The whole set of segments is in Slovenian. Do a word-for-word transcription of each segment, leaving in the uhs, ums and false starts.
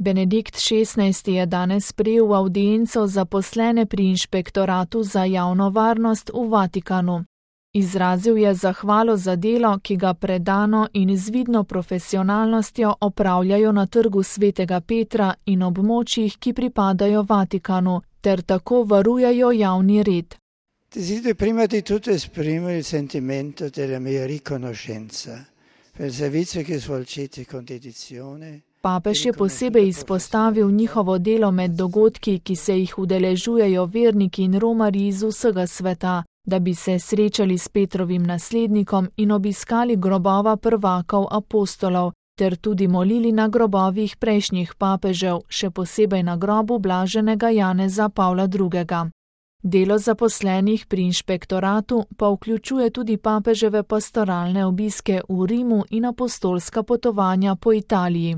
Benedikt šestnajsti je danes sprejel v avdienco zaposlene pri Inšpektoratu za javno varnost v Vatikanu. Izrazil je zahvalo za delo, ki ga predano in z vidno profesionalnostjo opravljajo na trgu Svetega Petra in območjih, ki pripadajo Vatikanu, ter tako varujejo javni red. Desidero prima di tutto esprimere il sentimento della mia riconoscenza per il servizio che svolgete con dedizione. Papež je posebej izpostavil njihovo delo med dogodki, ki se jih udeležujejo verniki in romarji iz vsega sveta, da bi se srečali s Petrovim naslednikom in obiskali grobova prvakov apostolov, ter tudi molili na grobovih prejšnjih papežev, še posebej na grobu blaženega Janeza Pavla drugega. Delo zaposlenih pri inšpektoratu pa vključuje tudi papeževe pastoralne obiske v Rimu in apostolska potovanja po Italiji.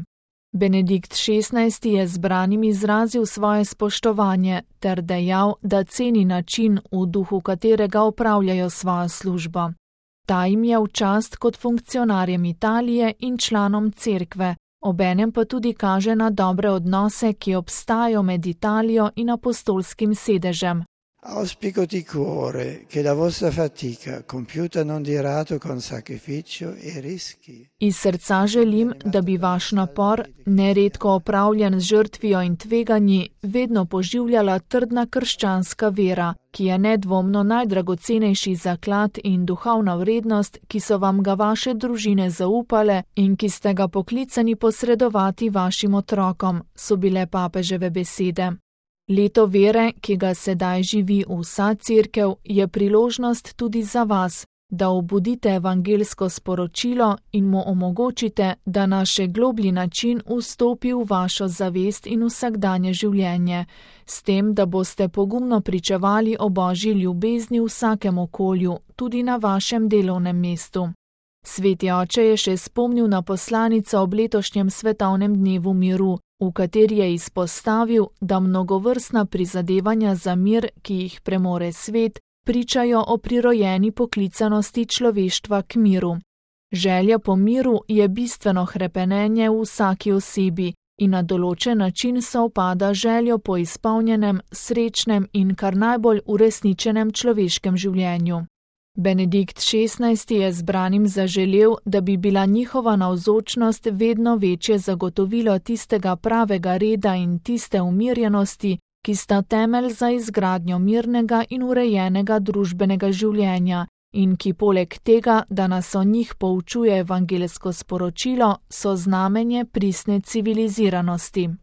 Benedikt šestnajsti je zbranim izrazil svoje spoštovanje ter dejal, da ceni način, v duhu katerega opravljajo svojo službo. Ta jim je v čast kot funkcionarjem Italije in članom cerkve, obenem pa tudi kaže na dobre odnose, ki obstajajo med Italijo in apostolskim sedežem. Auspico di cuore che la vostra fatica, compiuta non di rado con sacrificio e rischi. Iz srca želim, da bi vaš napor, neredko opravljen z žrtvijo in tveganji, vedno poživljala trdna krščanska vera, ki je nedvomno najdragocenejši zaklad in duhovna vrednost, ki so vam ga vaše družine zaupale in ki ste ga poklicani posredovati vašim otrokom, so bile papeževe besede. Leto vere, ki ga sedaj živi vsa cerkev, je priložnost tudi za vas, da obudite evangelsko sporočilo in mu omogočite, da na še globlji način vstopi v vašo zavest in vsakdanje življenje, s tem, da boste pogumno pričevali o Božji ljubezni v vsakem okolju, tudi na vašem delovnem mestu. Sveti oče je še spomnil na poslanico ob letošnjem svetovnem dnevu miru, v kateri je izpostavil, da mnogovrstna prizadevanja za mir, ki jih premore svet, pričajo o prirojeni poklicanosti človeštva k miru. Želja po miru je bistveno hrepenenje v vsaki osebi in na določen način sovpada željo po izpolnjenem, srečnem in kar najbolj uresničenem človeškem življenju. Benedikt šestnajsti je zbranim zaželel, da bi bila njihova navzočnost vedno večje zagotovilo tistega pravega reda in tiste umirjenosti, ki sta temelj za izgradnjo mirnega in urejenega družbenega življenja in ki poleg tega, da nas o njih poučuje evangelsko sporočilo, so znamenje pristne civiliziranosti.